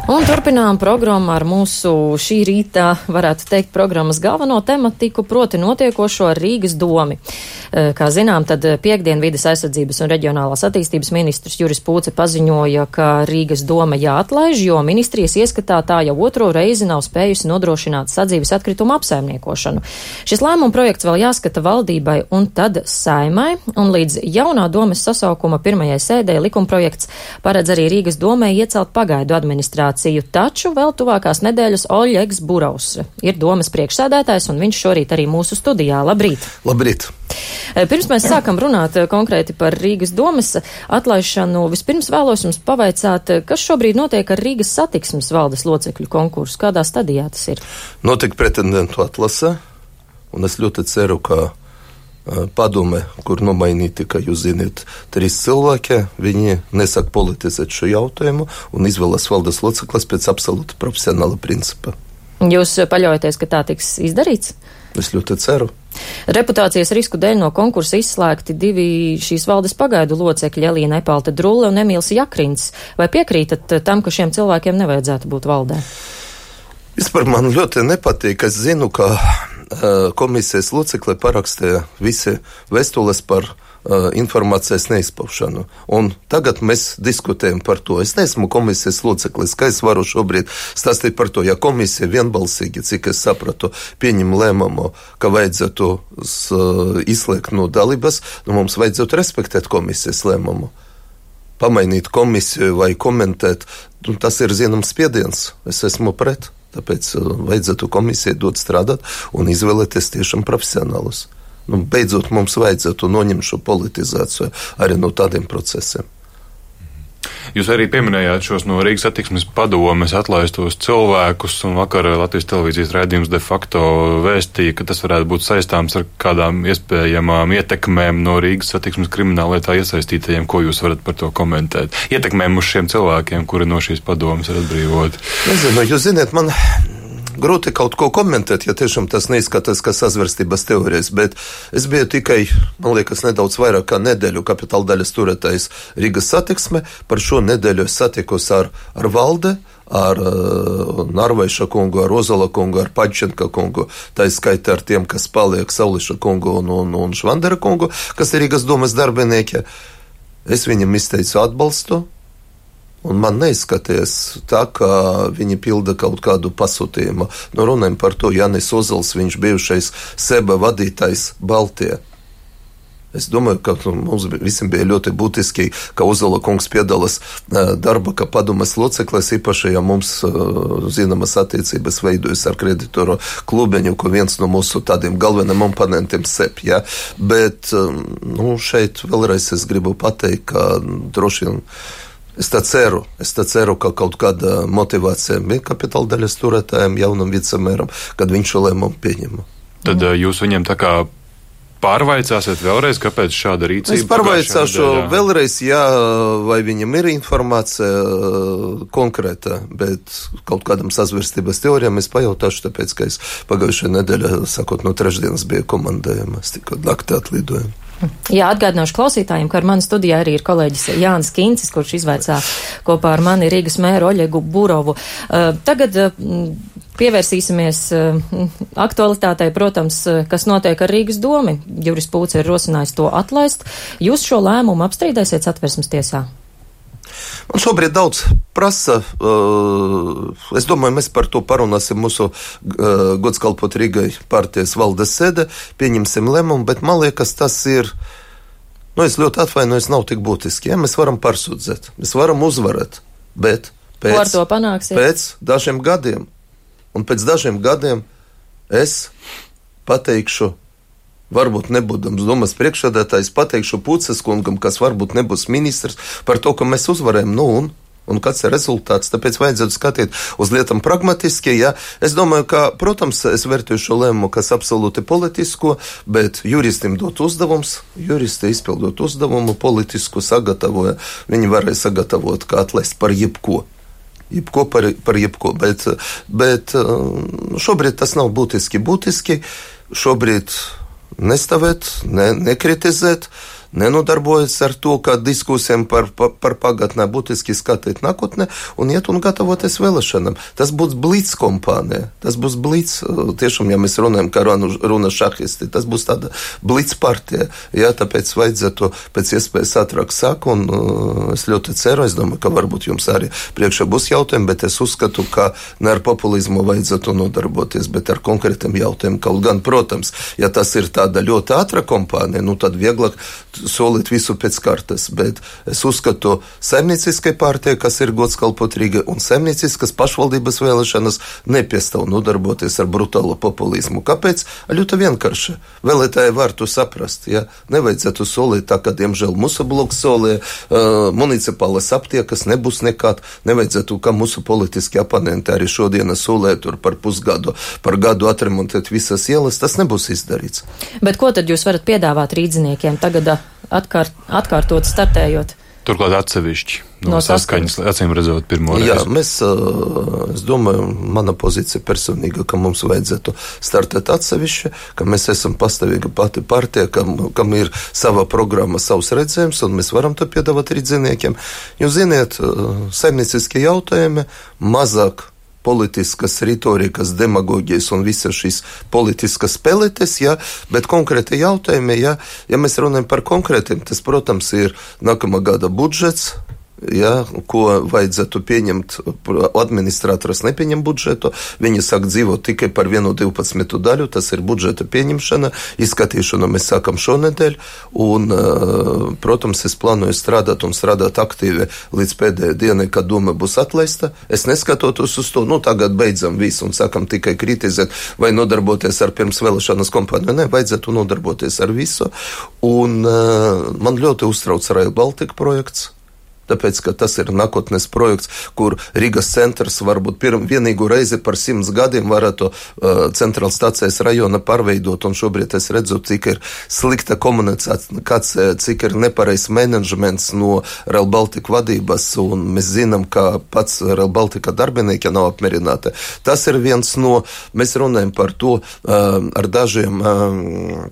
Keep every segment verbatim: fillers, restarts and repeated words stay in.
Un turpinām programmu ar mūsu šī rīta, varētu teikt, programmas galveno tematiku, proti notiekošo ar Rīgas domi. Kā zinām, tad piekdien vides aizsardzības un reģionālās attīstības ministrs Juris Pūce paziņoja, ka Rīgas doma jāatlaiž, jo ministrijas ieskatā tā jau otro reizi nav spējusi nodrošināt sadzīves atkritumu apsaimniekošanu. Šis lēmuma projekts vēl jāskata valdībai un tad Saimai, un līdz jaunā domes sasaukuma pirmajai sēdē likumprojekts paredz arī Rīgas domai iecelt pagaidu administrāciju. Taču vēl tuvākās nedēļas Oļegs Burovs ir domas priekšsēdētājs, un viņš šorīt arī mūsu studijā. Labrīt! Labrīt! Pirms mēs sākam runāt konkrēti par Rīgas domas atlaišanu, vispirms vēlos jums pavaicāt, kas šobrīd notiek ar Rīgas satiksmes valdes locekļu konkursu, kādā stadijā tas ir? Notika pretendentu atlase, un es ļoti ceru, ka padome, kur nomainīti, ka jūs ziniet, trīs cilvēki, viņi nesāk politizēt šo jautājumu un izvēlas valdes loceklas pēc absolūti profesionāla principa. Jūs paļaujaties, ka tā tiks izdarīts? Es ļoti ceru. Reputācijas risku dēļ no konkursa izslēgti divi šīs valdes pagaidu locekļi, Elīna Epalta Drulle un Emīls Jakrins. Vai piekrītat tam, ka šiem cilvēkiem nevajadzētu būt valdē? Vispār man ļoti nepatīk. Es zinu, ka komisijas locekļi parakstīja visi vēstules par uh, informācijas neizpaušanu. Un tagad mēs diskutējam par to. Es neesmu komisijas loceklis, kā es varu šobrīd stāstīt par to. Ja komisija vienbalsīgi, cik es sapratu, pieņem lēmumu, ka vajadzētu uh, izslēgt no dalības, nu mums vajadzētu respektēt komisijas lēmumu. Pamainīt komisiju vai komentēt, nu, tas ir zināms spiediens. Es esmu pret. Tāpēc vajadzētu komisijai dot strādāt un izvēlēties tiešām profesionālus. Nu, beidzot, mums vajadzētu noņemt šo politizāciju arī no tādiem procesiem. Jūs arī pieminējāt šos no Rīgas satiksmes padomes atlaistos cilvēkus, un vakar Latvijas televīzijas raidījums de facto vēstīja, ka tas varētu būt saistāms ar kādām iespējamām ietekmēm no Rīgas satiksmes krimināllietā iesaistītajiem. Ko jūs varat par to komentēt? Ietekmēm uz šiem cilvēkiem, kuri no šīs padomes ir atbrīvoti. Nezinu, jūs ziniet, man grūti kaut ko komentēt, ja tiešām tas neizskatās kā sazvērstības teorijas, bet es biju tikai, man liekas, nedaudz vairāk kā nedēļu kapitāla daļas turētājs Rīgas satiksme. Par šo nedēļu es satikos ar, ar valde, ar uh, Narvaiša kungu, ar Ozola kungu, ar Pačenka kungu, tā izskaita ar tiem, kas paliek Sauliša kungu un, un, un Švandera kungu, kas ir Rīgas domas darbinieki. Es viņam izteicu atbalstu. Un man neizskaties tā, ka viņi pilda kaut kādu pasūtījumu. Nu, runājam par to, Jānis Ozols, viņš bijušais seba vadītājs Baltijā. Es domāju, ka mums visiem bija ļoti būtiski, ka Ozola kungs piedalās darba, ka padomes loceklis, īpaši, ja mums zināmas attiecības veidojas ar kreditoru klubeņu, ko viens no mūsu tādiem galveniem oponentiem sep, ja. Bet, nu, šeit vēlreiz es gribu pateikt, ka droši vien Es tā ceru, es tā ceru, ka kaut kāda motivācija bija kapitāla daļas turētājiem, jaunam vicemēram, kad viņš šo lēmumu pieņem. Tad jūs viņiem tā kā pārvaicāsiet vēlreiz, kāpēc šāda rīcība? Es pārvaicāšu vēlreiz, jā, vai viņam ir informācija konkrēta, bet kaut kādam sazvērstības teorijām es pajautāšu, tāpēc, ka es pagājušajā nedēļā, sakot, no trešdienas bija komandējuma, es tikko naktī atlidoju. Jā, atgādināšu klausītājiem, ka ar mani studijā arī ir kolēģis Jānis Kincis, kurš izvaicā kopā ar mani Rīgas mēru Oļegu Burovu. Uh, tagad uh, pievērsīsimies uh, aktualitātei, protams, uh, kas notiek ar Rīgas domi. Juris Pūce ir rosinājis to atlaist. Jūs šo lēmumu apstrīdēsiet Satversmes tiesā? Man šobrīd daudz prasa. Uh, es domāju, mēs par to parunāsim mūsu uh, gods kalpot Rīgai partijas valdes sēde, pieņemsim lēmumu, bet man liekas, tas ir, nu, es ļoti atvainojos, nav tik būtiski. Ja? Mēs varam pārsūdzēt, mēs varam uzvarēt, bet pēc, pēc dažiem gadiem, un pēc dažiem gadiem es pateikšu, varbūt nebūdams domas priekšsēdētājs, pateikšu Pūces kungam, kas varbūt nebūs ministrs, par to, ka mēs uzvarējam, nu un, un kāds ir rezultāts. Tāpēc vajadzētu skatīt uz lietām pragmatiski. Ja? Es domāju, ka, protams, es vērtēju šo lēmumu, kas absolūti politisko, bet juristim dot uzdevums, juristi izpildot uzdevumu, politisku sagatavoja. Viņi varēja sagatavot, kā atlaist par jebko. Jebko par, par jebko, bet, bet šobrīd tas nav būtiski būtiski. Šobrīd nestāvēt, ne, nekritizēt, nenodarbojas ar to, kā diskusijām par, par, par pagatnē būtiski skatīt nākotnē un iet un gatavoties vēlēšanām. Tas būs blitz kompānija, tas būs blitz, tiešām, ja mēs runājam, kā runa šahisti, tas būs tāda blitz partija, jā, tāpēc vajadzētu pēc iespējas ātrāk sāk, un uh, es ļoti ceru, es domāju, ka varbūt jums arī priekšā būs jautājumi, bet es uzskatu, ka ne ar populizmu vajadzētu nodarboties, bet ar konkrētiem jautājumiem. Kaut gan, protams, ja tas ir tāda ļoti ātra kompānija, nu tad vieglāk solīt visu pēc kartas, bet es uzskatu saimnieciskai partijai, kas ir gods kalpot Rīgai, un saimnieciskas pašvaldības vēlēšanas nepiestāv nodarboties ar brutālu populizmu. Kāpēc? Ļoti vienkārši. Vēlētāji var to saprast, ja? Nevajadzētu solīt tā, kā, diemžēl, mūsu bloks solīja, uh, municipālas aptiekas nebūs nekād, nevajadzētu, kā mūsu politiski oponenti arī šodien solīja tur par pusgadu, par gadu atremontēt visas ielas, tas nebūs izdarīts. Bet ko tad jūs varat piedāvāt rīdziniekiem tagad atkārt, atkārtot startējot? Turklāt atsevišķi. No, no saskaņas, acīm redzot, pirmo reizi. Jā, mēs, es domāju, mana pozīcija personīga, ka mums vajadzētu startēt atsevišķi, ka mēs esam pastāvīga pati partija, kam, kam ir sava programma, savs redzējums, un mēs varam to piedāvāt rīdziniekiem. Jūs ziniet, saimnieciskie jautājumi mazāk politiskas retorikas, demagogijas un visas šīs politiskas spēlētes, ja, bet konkrēti jautājumi, ja, ja mēs runājam par konkrētiem, tas, protams, ir nākamā gada budžets, ja, ko vajadzētu pieņemt, administrators nepieņem budžetu, viņi sāk dzīvot tikai par vienu divpadsmitu daļu, tas ir budžeta pieņemšana, izskatīšanu mēs sākam šonedēļ, un, protams, es plānoju strādāt un strādāt aktīvi līdz pēdējai dienai, kad doma būs atlaista. Es neskatotos uz to, nu, tagad beidzam visu un sākam tikai kritizēt vai nodarboties ar pirms vēlēšanas kompāniju. Nē, vajadzētu nodarboties ar visu, un man ļoti uztrauc Rail Baltica projekts. Tāpēc, ka tas ir nākotnes projekts, kur Rīgas centrs varbūt pirm, vienīgu reizi par simts gadiem varētu uh, centrāla stācijas rajona pārveidot, un šobrīd es redzu, cik ir slikta komunikācija, cik ir nepareizs menedžments no Rail Baltica vadības, un mēs zinām, ka pats Rail Baltica darbinieki nav apmierināti. Tas ir viens no, mēs runājam par to uh, ar dažiem uh,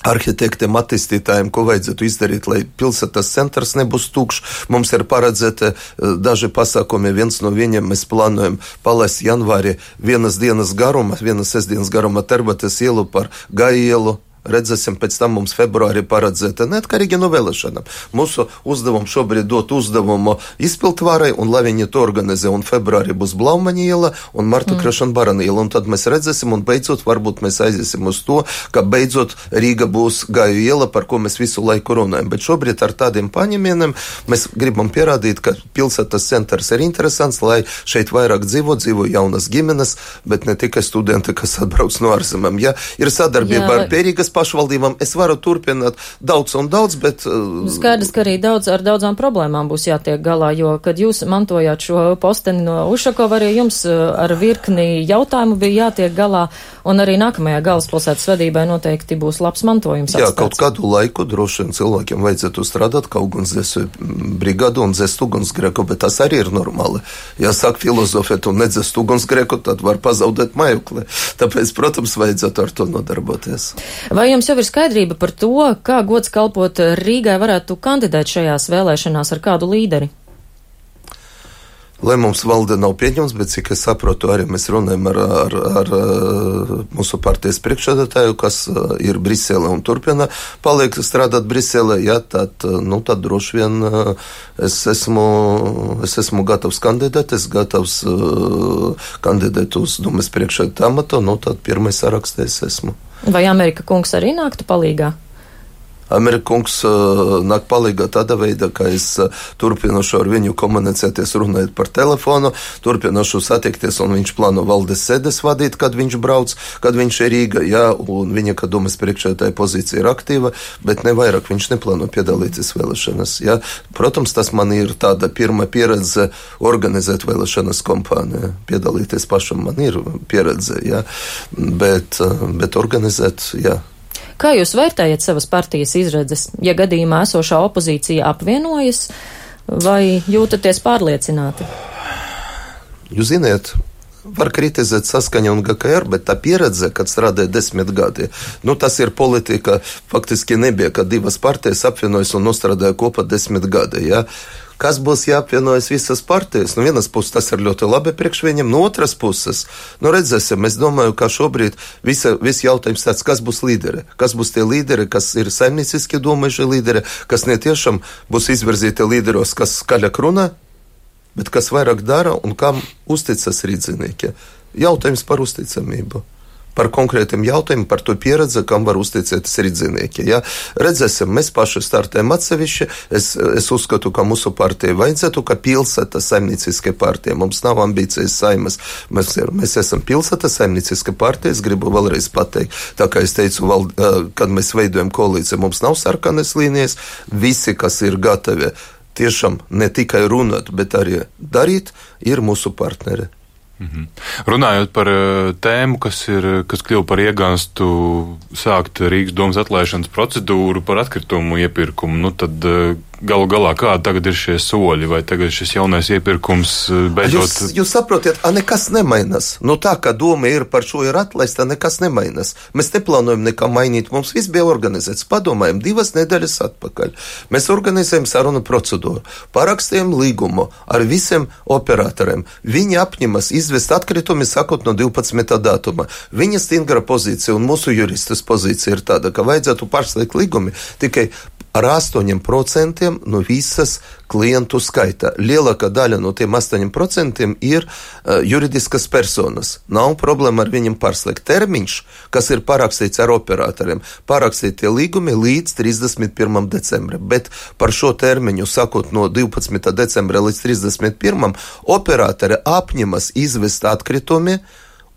arhitektiem, attīstītājiem, ko vajadzētu izdarīt, lai pilsētas centrs nebūs tukšs. Mums ir paredzēti daži pasākumi, viens no viņiem mēs plānojam palaist janvāri vienas dienas garuma, vienas sestdienas garuma Terbates ielu par Gaja ielu. Redzēsim, pēc tam mums februārī paredzēta neatkarīgi no vēlēšanām. Mūsu uzdevums šobrīd dot uzdevumu izpildvarai, un lai viņi to organizē, un februārī būs Blaumaņa iela un Marta mm. Krešana Barana iela, un tad mēs redzēsim, un beidzot varbūt mēs aiziesim uz to, ka beidzot Rīga būs Gaju iela, par ko mēs visu laiku runājam. Bet šobrīd ar tādiem paņemieniem mēs gribam pierādīt, ka pilsētas centrs ir interesants, lai šeit vairāk dzīvo, dzīvo jaunas ģimenes, bet ne tikai studenti, kas atbrauc no ārzemēm. Ja ir sadarbība Jā. ar Pērīgas pašvaldībām, es varu turpināt daudz un daudz, bet... Skaidrs, ka arī daudz, ar daudzām problēmām būs jātiek galā, jo, kad jūs mantojāt šo posteni no Ušakova, arī jums ar virkni jautājumu bija jātiek galā, un arī nākamajā galvaspilsētas vadībai noteikti būs labs mantojums Jā, atstāts. Kaut kādu laiku droši vien cilvēkiem vajadzētu strādāt kā ugunsdzēsu brigādu un dzēst ugunsgrēku, bet tas arī ir normāli. Ja sāk filozofēt un nedzēst ugunsgrēku, tad var pazaudēt mājokli. Tāpēc, protams, vajadzētu ar to nodarboties. Vai jums jau ir skaidrība par to, kā gods kalpot Rīgai varētu kandidēt šajās vēlēšanās ar kādu līderi? Lai mums valde nav pieņems, bet cik es saprotu, arī mēs runājam ar, ar, ar mūsu partijas priekšsēdētāju, kas ir Brisele un turpina paliek strādāt Brisele, ja, tad, nu, tad droši vien es esmu, es esmu gatavs kandidēt, es gatavs kandidēt uz domas priekšsēdētāju amatu, nu, tad pirmais sarakstē es esmu. Vai Amerika kungs arī nāktu palīgā? Amerika kungs uh, nāk palīgā tādā veidā, ka es uh, turpināšu ar viņu komunicēties, runājot par telefonu, turpināšu satikties, un viņš plāno valdes sēdes vadīt, kad viņš brauc, kad viņš ir Rīga, jā, un viņa, kad domas priekšsēdētāja pozīcija ir aktīva, bet ne vairāk viņš neplāno piedalīties vēlēšanas, jā. Protams, tas man ir tāda pirma pieredze organizēt vēlēšanas kompāniju, piedalīties pašam man ir pieredze, jā, bet, uh, bet organizēt, jā. Kā jūs vērtējat savas partijas izredzes, ja gadījumā esošā opozīcija apvienojas, vai jūtaties pārliecināti? Jūs ziniet, var kritizēt Saskaņa un G K R, bet tā pieredze, kad strādāja desmit gadi, nu tas ir politika, faktiski nebija, kad divas partijas apvienojas un nostrādāja kopā desmit gadi, ja. Kas būs jāapvienojas visas partijas? No vienas puses tas ir ļoti labi priekš viņam, no otras puses, nu redzēsim, es domāju, ka šobrīd visa, visi jautājums tāds, kas būs līderi, kas būs tie līderi, kas ir saimnieciski domājuši līderi, kas netiešām būs izvirzīti līderos, kas skaļāk runā, bet kas vairāk dara un kam uzticas rīdzinieki. Jautājums par uzticamību. Par konkrētiem jautājumiem, par to pieredzi, kam var uzticēties rīdzinieki. Ja? Redzēsim, mēs paši startējam atsevišķi. Es, es uzskatu, ka mūsu partija vajadzētu, ka pilsēta saimnieciskai partija. Mums nav ambīcijas saimas. Mēs, mēs esam pilsēta saimnieciska partija. Es gribu vēlreiz pateikt, tā kā es teicu, val, kad mēs veidojam koalīciju, mums nav sarkanas līnijas. Visi, kas ir gatavi tiešām ne tikai runāt, bet arī darīt, ir mūsu partneri. Mhm. Runājot par tēmu, kas ir, kas kļuva par iegānstu sākt Rīgas domas atlaišanas procedūru par atkritumu iepirkumu, nu tad galu galā kādi tagad ir šie soļi, vai tagad šis jaunais iepirkums beidzot... Jūs, jūs saprotiet, a nekas nemainas. Nu tā, ka doma ir par šo ir atlaista, nekas nemainas. Mēs neplānojam nekā mainīt, mums viss bija organizēts. Padomājam, divas nedēļas atpakaļ. Mēs organizējam sarunu procedūru, parakstījam līgumu ar visiem operatoriem. Viņi apņemas izvest atkritumi, sakot no divpadsmitā datuma. Viņa stingra pozīcija un mūsu juristas pozīcija ir tāda, ka vajadzētu pārslēgt līgumi tikai ar astoņiem procentiem no visas klientu skaita. Lielākā daļa no tiem astoņiem procentiem ir uh, juridiskas personas. Nav problēma ar viņiem pārslēgt. Termiņš, kas ir parakstīts ar operatoriem, parakstīt tie līgumi līdz trīsdesmit pirmam decembrim. Bet par šo termiņu, sakot no divpadsmitā decembra līdz trīsdesmit pirmam, operatori apņemas izvest atkritumi,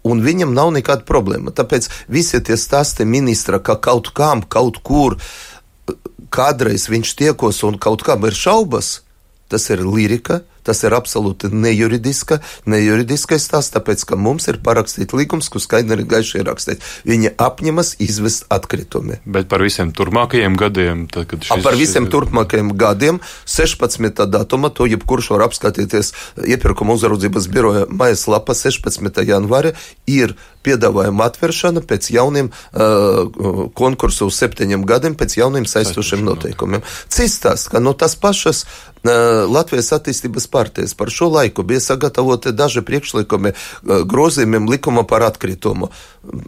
un viņam nav nekāda problēma. Tāpēc visi tie stāsti ministra, ka kaut kam, kaut kur kādreiz viņš tiekos un kaut kam ir šaubas, tas ir lirika, tas ir absolūti nejuridiska, nejuridiskais tās, tāpēc, ka mums ir parakstīt līgums, kur skaidri ir gaiši rakstīt. Viņi apņemas izvest atkritumi. Bet par visiem turpmākajiem gadiem? Tad, kad šis... A, par visiem turpmākajiem gadiem, sešpadsmitā datuma, to jebkurš var apskatīties iepirkuma uzraudzības biroja mājaslapā sešpadsmitā janvāra, ir piedāvājuma atvēršana pēc jauniem uh, konkursu uz septiņiem gadiem, pēc jauniem saistošiem noteikumiem. Cistās, ka no tas pašas uh, Latvijas attīstības partijas par šo laiku bija sagatavoti daži priekšlikumi uh, grozījumiem likuma par atkritumu.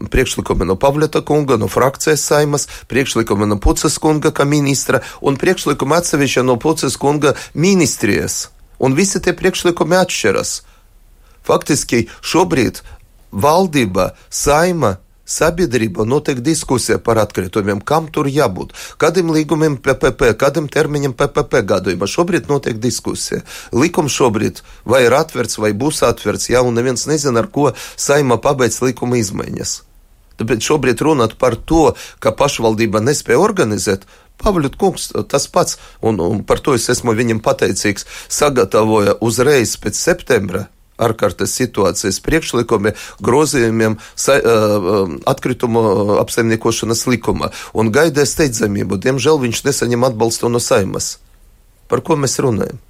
Priekšlikumi no Pavleta kunga, no frakcijas saimas, priekšlikumi no Puces kunga kā ministra un priekšlikumi atsevišķi no Puces kunga ministrijas. Un visi tie priekšlikumi atšķiras. Faktiski šobrīd valdība, saima, sabiedrība notiek diskusija par atkritumiem, kam tur jābūt, kādiem līgumiem P P P, kādiem termiņiem P P P gadījumā. Šobrīd notiek diskusija. Likums šobrīd vai ir atverts, vai būs atverts, ja, un neviens nezina, ar ko saima pabeidz likuma izmaiņas. Tāpēc šobrīd runāt par to, ka pašvaldība nespēja organizēt, Pavļut kungs tas pats, un, un par to es esmu viņam pateicīgs, sagatavoja uzreiz pēc septembra ārkārtas situācijas priekšlikumi grozījumiem sa, uh, atkritumu apsaimniekošanas likuma un gaidīja steidzamību. Diemžēl viņš nesaņem atbalstu no saimas. Par ko mēs runājam?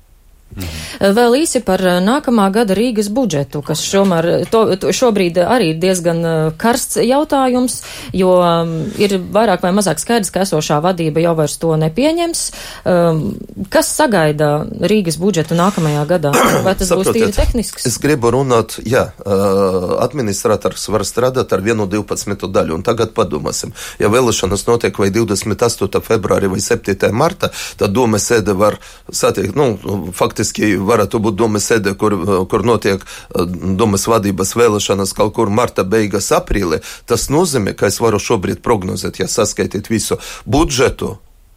Mhm. Vēl īsi par nākamā gada Rīgas budžetu, kas šomēr, to, to šobrīd arī ir diezgan karsts jautājums, jo um, ir vairāk vai mazāk skaidrs, ka esošā vadība jau vairs to nepieņems. Um, kas sagaida Rīgas budžetu nākamajā gadā? Vai tas būs tīri tehnisks? Es gribu runāt, jā, administrators var strādāt ar vienu divpadsmitu daļu, un tagad padomāsim. Ja vēlēšanas notiek vai divdesmit astotajā februārī vai septītajā martā, tad doma sēde var satiekt, nu, faktiski varētu būt domas sēde, kur, kur notiek domas vadības vēlēšanas kaut kur marta beigas aprīlī. Tas nozīmē, ka es varu šobrīd prognozēt, ja saskaitīt visu budžetu,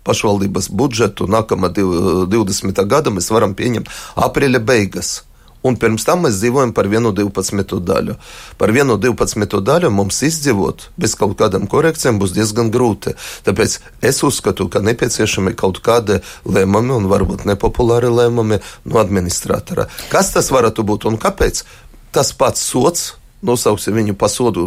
pašvaldības budžetu nākamā divdesmitā gada mēs varam pieņemt aprīļa beigas. Un pirms tam mēs dzīvojam par vienu divpadsmitu daļu. Par vienu divpadsmitu daļu mums izdzīvot bez kaut kādām korekcijām būs diezgan grūti. Tāpēc es uzskatu, ka nepieciešami kaut kādi lēmumi un varbūt nepopulāri lēmumi no administratora. Kas tas varētu būt un kāpēc? Tas pats sots nosauksim viņu pa sodu,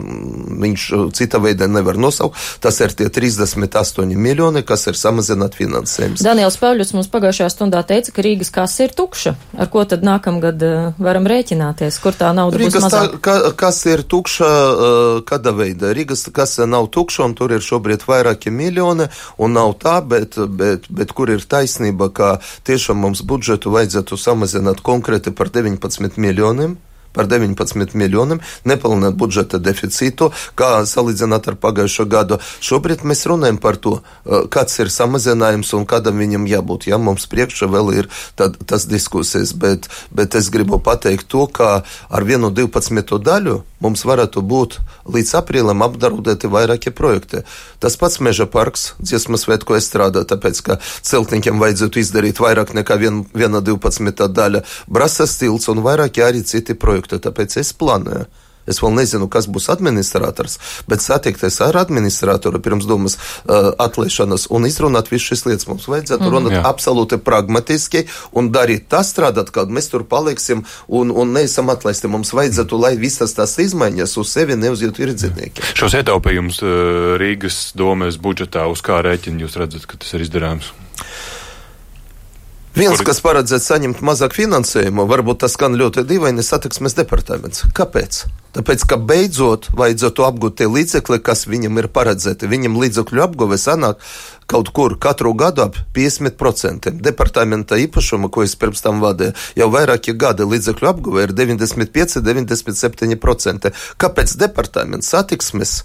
viņš cita veida nevar nosaukt. Tas ir tie trīsdesmit astoņi miljoni, kas ir samazināt finansējums. Daniels Pavļuts mums pagājušajā stundā teica, ka Rīgas kasa ir tukša. Ar ko tad nākamgad uh, varam rēķināties? Kur tā nauda Rīgas būs mazāk? Tā, ka, kas ir tukša, uh, kāda veida? Rīgas kasa nav tukša, un tur ir šobrīd vairāki miljoni, un nav tā, bet, bet, bet kur ir taisnība, ka tiešām mums budžetu vajadzētu samazināt konkrēti par deviņpadsmit miljoniem. Par deviņpadsmit miljoniem, nepilnēt budžeta deficītu, kā salīdzināt ar pagājušo gadu. Šobrīd mēs runājam par to, kāds ir samazinājums un kādam viņam jābūt. Ja mums priekšā vēl ir tad, tas diskusijas, bet, bet es gribu pateikt to, ka ar vienu divpadsmito daļu mums varētu būt līdz aprīlim apdraudēti vairāki projekti. Tas pats Meža parks, dziesmas svētku estrādā, tāpēc, ka celtniekiem vajadzētu izdarīt vairāk nekā vien, viena divpadsmitā daļa. Brasas tilts un vairāki arī citi projekti. Tāpēc es plānoju. Es vēl nezinu, kas būs administrators, bet satikties ar administratoru pirms domas uh, atlaišanas un izrunāt visu šīs lietas. Mums vajadzētu mm. runāt Jā. absolūti pragmatiski un darīt tā strādāt, kad mēs tur paliksim un, un neesam atlaisti. Mums vajadzētu, lai visas tās izmaiņas uz sevi neuzjūt tirdznieki. Šos ietaupījumus uh, Rīgas domes budžetā uz kā rēķina jūs redzat, ka tas ir izdarāms? Viens, kas paredzēts saņemt mazāk finansējumu, varbūt tas skan ļoti dīvaini, satiksmes departaments. Kāpēc? Tāpēc, ka beidzot vajadzētu apgūt tie līdzekļi, kas viņam ir paredzēti. Viņam līdzekļu apguve sanāk kaut kur katru gadu ap piecdesmit procenti. Departamenta īpašuma, ko es pirms tam vadīju, jau vairāki gadi līdzekļu apguve ir deviņdesmit pieci, deviņdesmit septiņi procenti. Kāpēc departaments satiksmes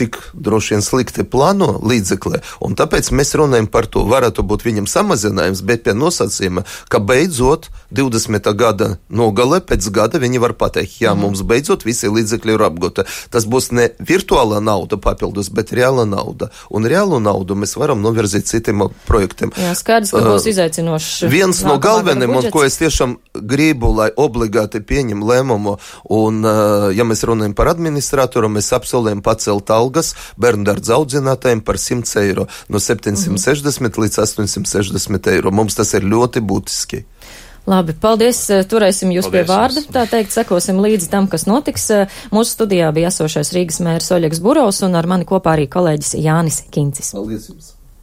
tik droši vien slikti plāno līdzekli, un tāpēc mēs runājam par to, varētu būt viņam samazinājums, bet pie nosacījuma, ka beidzot divdesmitā gada nogale pēc gada viņi var pateikt, jā, mm. mums beidzot visi līdzekļi ir apgūti. Tas būs ne virtuāla nauda papildus, bet reāla nauda. Un reālu naudu mēs varam novirzīt citiem projektiem. Jā, skaidrs, ka būs izaicinošs. Viens no galveniem, un ko es tiešām gribu, lai obligāti pieņem lēmumu, un ja mēs runājam par administratoru, mēs apsolējam pacelt algu bērndārdza audzinātājiem par simt eiro, no septiņsimt sešdesmit mm-hmm. līdz astoņsimt sešdesmit eiro. Mums tas ir ļoti būtiski. Labi, paldies, turēsim jūs paldies, pie vārda, tā teikt, sekosim līdzi tam, kas notiks. Mūsu studijā bija esošais Rīgas mērs Oļegs Burovs un ar mani kopā arī kolēģis Jānis Kincis. Paldies jums!